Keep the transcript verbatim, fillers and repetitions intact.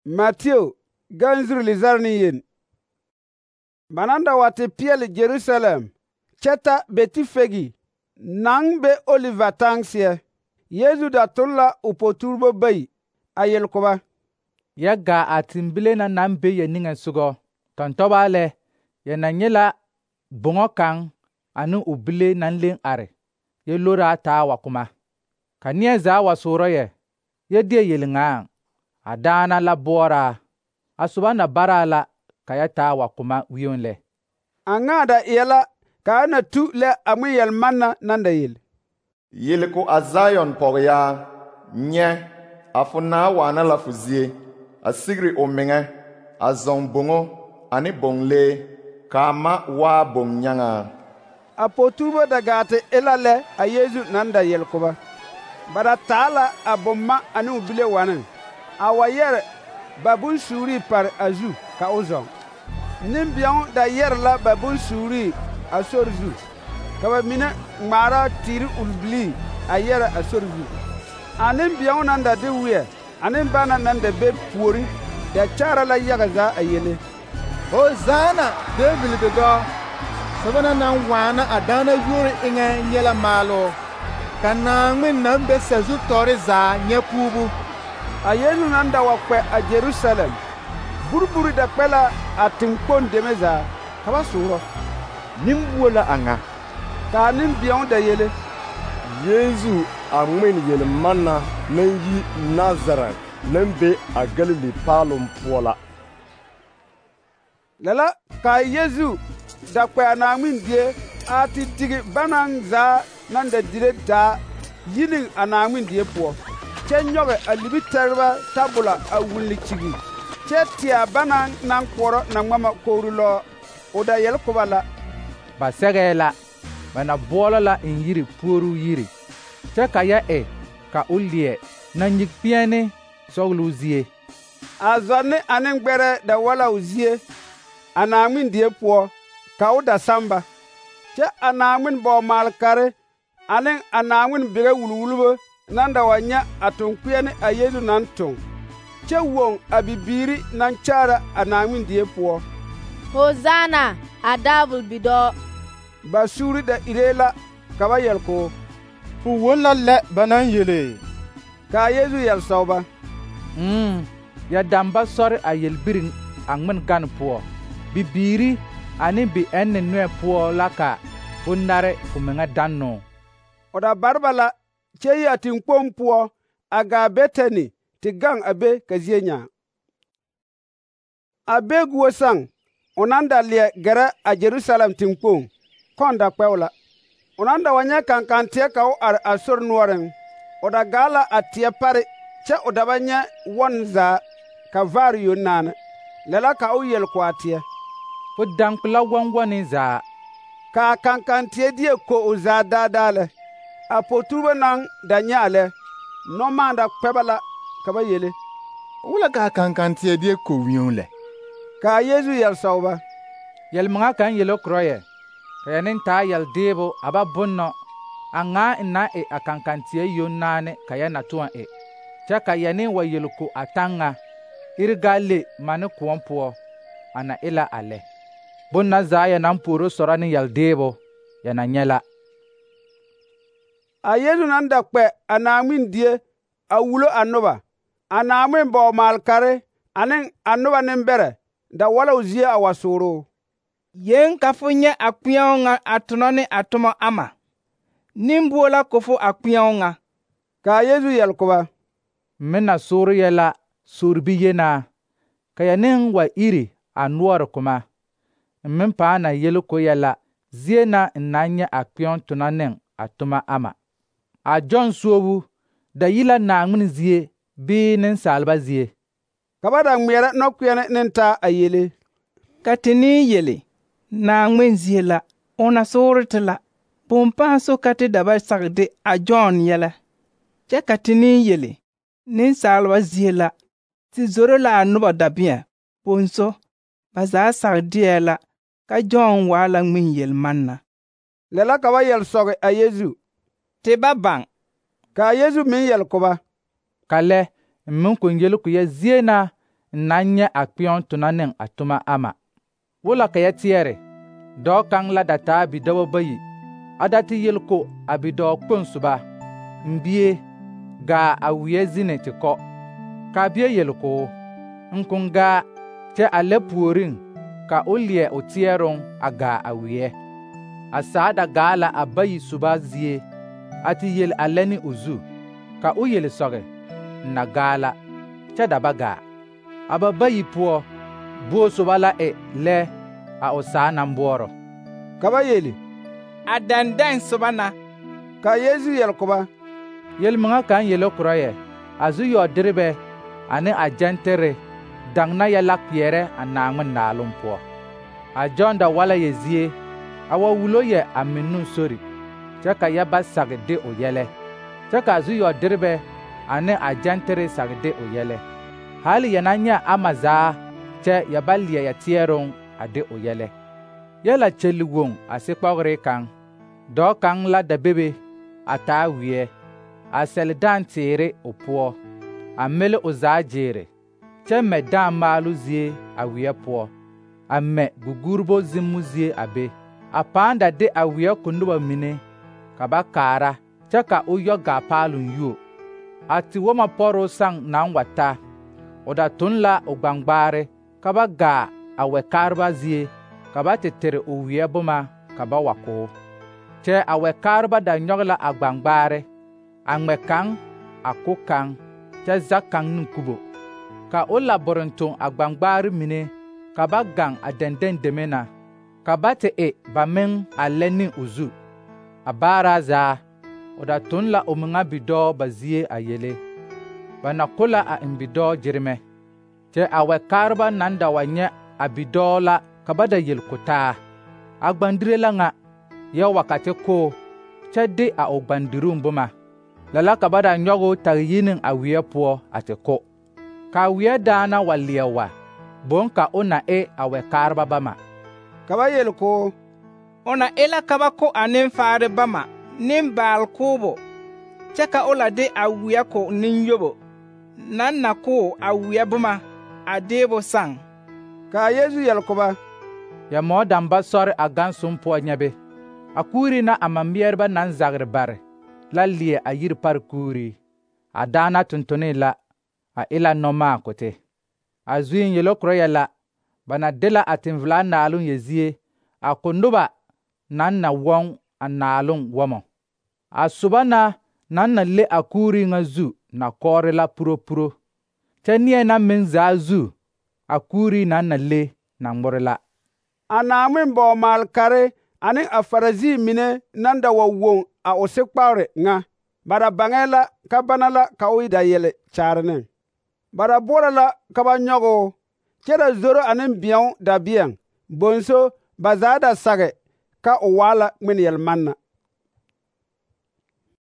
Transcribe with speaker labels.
Speaker 1: Matthew ganzuru lizar ni yen. Bananda wa te peɛle Jerusalem kyɛ ta Betifegi naŋ be Oliva taŋ seɛ. Yesu da tol la o poturebo bayi a yel ko ba:
Speaker 2: Ya gaa a tembile na naŋ be ya niŋesogɔ. Tɔntɔba lɛ, ya na nye la boŋɔ kaŋ ane o bile naŋ leŋ are, yɛ loraa taa wa kuma. Ka neɛ zaa wa soorɔ yɛ, yɛ deɛ yelŋaaŋ, a daana la boɔraa, a soba na baraa la ka ya taa wa kuma wioŋ lɛ.
Speaker 1: A ŋaa da eɛ la ka a na tu lɛ a ŋmen yɛlmanna naŋ da yel.
Speaker 3: Yele ko a Zion pɔgeyaa, nyɛ, a fo naa waana la fo zie, a sigiri o meŋɛ, a zɔŋ boŋo ane boŋlee, kaa ma waa boŋ-nyaŋaa.
Speaker 1: A poturebo da gaa te e la lɛ a Yesu naŋ da yel ko ba. Ba da taa la a bomma ane o bile waneŋ, a wa yɛre ba bonsuurii pare a zu ka o zɔŋ. Nembeɛo da yɛre la ba bonsuurii a sori zu, ka ba mine ŋmaara teere urubilii a yɛre a sori zu. A nembeɛo naŋ da de weɛ ane bana naŋ da be puori da kyaara la yaga zaa a yele:
Speaker 4: Hosanna, David bidɔɔ! Soba na naŋ waana a daana yuori eŋɛ nyɛ la maaloo, ka Naaŋmen naŋ be sazu tɔɔre zaa nyɛ puubu.
Speaker 1: A Yesu naŋ da wa kpɛ a Jerusalem, buriburi da kpɛ la a teŋkpoŋ deme zaa, ka ba soorɔ:
Speaker 5: Nimbuo la a ŋa.
Speaker 1: Kaa nembeɛo da yele:
Speaker 5: Yesu a ŋmen yelmanna naŋ yi Nazaret naŋ be a Galili paaloŋ poɔ la.
Speaker 1: Lɛ la kaa Yesu da kpɛ a Naaŋmen die a te tigi banaŋ zaa naŋ da dire daa yi ne a Naaŋmen die poɔ, kyɛ nyɔge a libitɛreba tabola a wulli kyigi, kyɛ teɛ a banaŋ naŋ koɔrɔ naŋmama kogri lɔɔ. O da yel ko ba la:
Speaker 2: Ba sɛgɛɛ la, ba na boɔlɔ la eŋ yiri puoruu yiri, kyɛ ka ya e ka o leɛ na nyig peɛne sɔgeloo zie.
Speaker 1: A zɔnne ane gbɛrɛ da wa la o zie a Naaŋmen die poɔ, ka o da samba, kyɛ a Naaŋmen bɔɔ-maal-kare ane a Naaŋmen bigɛ wulwulbo naŋ da wa nyɛ a toŋkpeɛne a Yesu naŋ toŋ, kyɛ woŋ a bibiiri naŋ kyaara a Naaŋmen die poɔ:
Speaker 6: Hosanna, a David bidɔɔ!
Speaker 1: Ba suuri da iree la ka ba yɛl ko:
Speaker 4: Fo won la lɛ ba naŋ yele.
Speaker 1: Kaa Yesu yɛl sɔg ba:
Speaker 2: Mm, ya dam ba sɔre a yelbiri a ŋmen gane poɔ. Bibiiri ane bi-ɛnne noɛ poɔ la ka fo nare fo meŋa dannoo.
Speaker 1: O da bare ba la kyɛ yi a teŋkpoŋ poɔ a gaa Betani te gaŋ a be ka zie nyaa. A be guo saŋ, o naŋ da leɛ gɛrɛ a Jerusalem teŋkpoŋ, kɔn da kpɛ o la. O naŋ da wa nyɛ kankanteɛ ka o are a sori noɔreŋ. O da gaa la a teɛ pare kyɛ o da ba nyɛ wɔn zaa, ka vaare yoŋ naana. Lɛ la ka o yel ko a teɛ:
Speaker 2: Fo daŋkpe la wɔnwɔne zaa.
Speaker 1: Kaa kankanteɛ die ko o zaa daadaa lɛ. A poturebo naŋ da nyɛ a lɛ, nɔmaa da kpɛ ba la ka ba yele:
Speaker 4: Wula kaa kankanteɛ die ko wioŋ lɛ.
Speaker 1: Kaa Yesu yɛl sɔg ba:
Speaker 2: Yɛlmaŋa kaŋ yele korɔ yɛ, ka ya neŋ taa yɛldeebo a ba bonnɔ, a ŋaa n na e a kankanteɛ yoŋ naane ka ya na tõɔ e, kyɛ ka ya neŋ wa yel ko a taŋ ŋa, iri gaa le mane kõɔ poɔ, a na e la a lɛ. Bonna zaa ya naŋ puoro sɔrɔ ne yɛldeebo, ya na nyɛ la.
Speaker 1: A Yesu naŋ da kpɛ a Naaŋmen die a wulo a noba, a Naaŋmen bɔɔ-maal-kare ane a noba nembɛrɛ da wa la o zie a wa sooroo:
Speaker 7: Yeŋ ka fo nyɛ a kpeɛo ŋa a tonɔ ne a tomɔ ama. Nimbuo la ko fo a kpeɛo ŋa.
Speaker 1: Kaa Yesu yɛl ko ba:
Speaker 2: Me na soore yɛ la soorbi yenaa, ka ya neŋ wa iri a noɔre kuma. N meŋ pãã na yele ko yɛ la zie na n na nyɛ a kpeɛo tonɔ ne a toma ama. A Jɔn suobu da yi la Naaŋmen zie bii nensaalba zie?
Speaker 1: Ka ba da ŋmeɛrɛ nɔkpeɛne ne taa a yele:
Speaker 7: Ka te ne yele, Naaŋmen zie la, o na soore te la. Bõn pãã so ka te da ba sag de a Jɔn yɛlɛ. Kyɛ ka te ne yele, nensaalba zie la, te zoro la a noba dabeɛ. Bonso, ba zaa sag deɛ la ka Jɔn waa la ŋmen yelmanna.
Speaker 1: Lɛ la ka ba yɛl sɔge a Yesu:
Speaker 7: Te ba baŋ.
Speaker 1: Kaa Yesu meŋ yɛl ko ba:
Speaker 2: Ka lɛ, n meŋ kɔŋ yele ko ya zie na na nyɛ a kpeɛŋ tona ne a toma ama. Wola ka yɛ teɛre, dɔɔ kaŋ la da taa bidɔbɔ bayi, a da te yel ko a bidɔɔ kpoŋ soba, n bie, gaa a weɛ zine te kɔ. Ka a bie yel ko, n kõn gaa, kyɛ a lɛ puoriŋ ka o leɛ o teɛroŋ a gaa a weɛ. A saa da gaa la a bayi soba zie, a te yel a lɛ ne o zu, ka o yel sɔge, n na gaa la, kyɛ da ba gaa. A ba bayi poɔ, buo soba la e lɛ a o saa naŋ boɔrɔ.
Speaker 1: Ka ba yeli,
Speaker 7: a dɛndɛŋ soba na.
Speaker 1: Ka Yesu yel ko ba,
Speaker 2: Yel-miŋa kaŋ yele korɔ yɛ, a zu-yɔ-derebɛ ane a gyɛntere daŋ na yɛ la kpeɛrɛ a Naaŋmen naaloŋ poɔ. A Jɔn da wala yɛ zie, a wa wulo yɛ a minnoŋ sori, kyɛ ka yɛ ba sage de o yɛlɛ, kyɛ ka a zu-yɔ-derebɛ ane a gyɛntere sage de o yɛlɛ. Hali yɛ na nyɛ ama zaa, kyɛ yɛ ba leɛ yɛ teɛroŋ a de o yɛlɛ. Yɛ la kyɛli woŋ a sekpɔgere kaŋ, dɔɔ kaŋ la da bebe a taa weɛ, a sɛle dãã teere o poɔ, a mele o zaa gyeere, kyɛ mɛ dãã maalo zie a weɛ poɔ, a mɛ gugurbo zimmo zie a be, a pãã da de a weɛ ko noba mine ka ba kaara, kyɛ ka o yɔ gaa paaloŋ yuo. A tewɔmɔ pɔroo saŋ naŋ wa ta, o da tun la o gbaŋgbaare ka ba gaa a wɛkaareba zie, ka ba te tere o weɛ boma ka ba wa ko. Kyɛ a wɛkaareba da nyɔge la a gbaŋgbaare, a ŋmɛ kaŋ, a ko kaŋ, kyɛ zag kaŋ ne kubo. Ka o la borentoŋ a gbaŋgbaare mine ka ba gaŋ a dɛndɛŋ deme na, ka ba te e ba meŋ a lɛ ne o zu. A baaraa zaa, o da tun la o meŋa bidɔɔ ba zie a yele. Ba na ko la a eŋ bidɔɔ gyeremɛ. Kyɛ a wɛkaareba naŋ da wa nyɛ a bidɔɔ la ka ba da yel ko taa, a gbandire la ŋa, yɛ wa ka te ko, kyɛ de a o gbandiruŋ boma. Lala ka ba da nyɔge o tage yi ne a weɛ poɔ a te ko. Ka a weɛ daana wa leɛ wa, boŋ ka o na e a wɛkaareba bama.
Speaker 1: Ka ba yel ko,
Speaker 7: O na e la ka ba ko a nenfaare bama nembaal koobo, kyɛ ka o la de a weɛ ko nenyobo, naŋ na ko a weɛ boma a deebo saŋ.
Speaker 1: Ka a Yesu yel ko ba,
Speaker 2: Ya mɔɔ damba sɔre a gãnsoŋ poɔ nyɛbe, a kuuri na a mameɛreba naŋ zagre bare la leɛ a yiri pare kuuri. A daana tontonee la, a e la nɔmaa ko te. A zuiŋ yelo korɔ yɛ la, ba na de la a tenvelaa naaloŋ yɛ zie, a ko noba naŋ na wɔŋ a naaloŋ wɔmɔ. A soba na naŋ na le a kuuri ŋa zu na kɔɔre la puropuro, kyɛ neɛ na meŋ zaa zu a kuuri naŋ na le na ŋmore la.
Speaker 1: A Naaŋmen bɔɔmaalkare ane a Farisi mine naŋ da wa woŋ a o sekpagre ŋa, ba da baŋɛɛ la ka bana la ka o da yele kyaare ne. Ba da boɔrɔ la ka ba nyɔge o, kyɛ da zoro ane bɛɛo dabeɛŋ, bonso ba zaa da sage ka o waa la ŋmen yelmanna.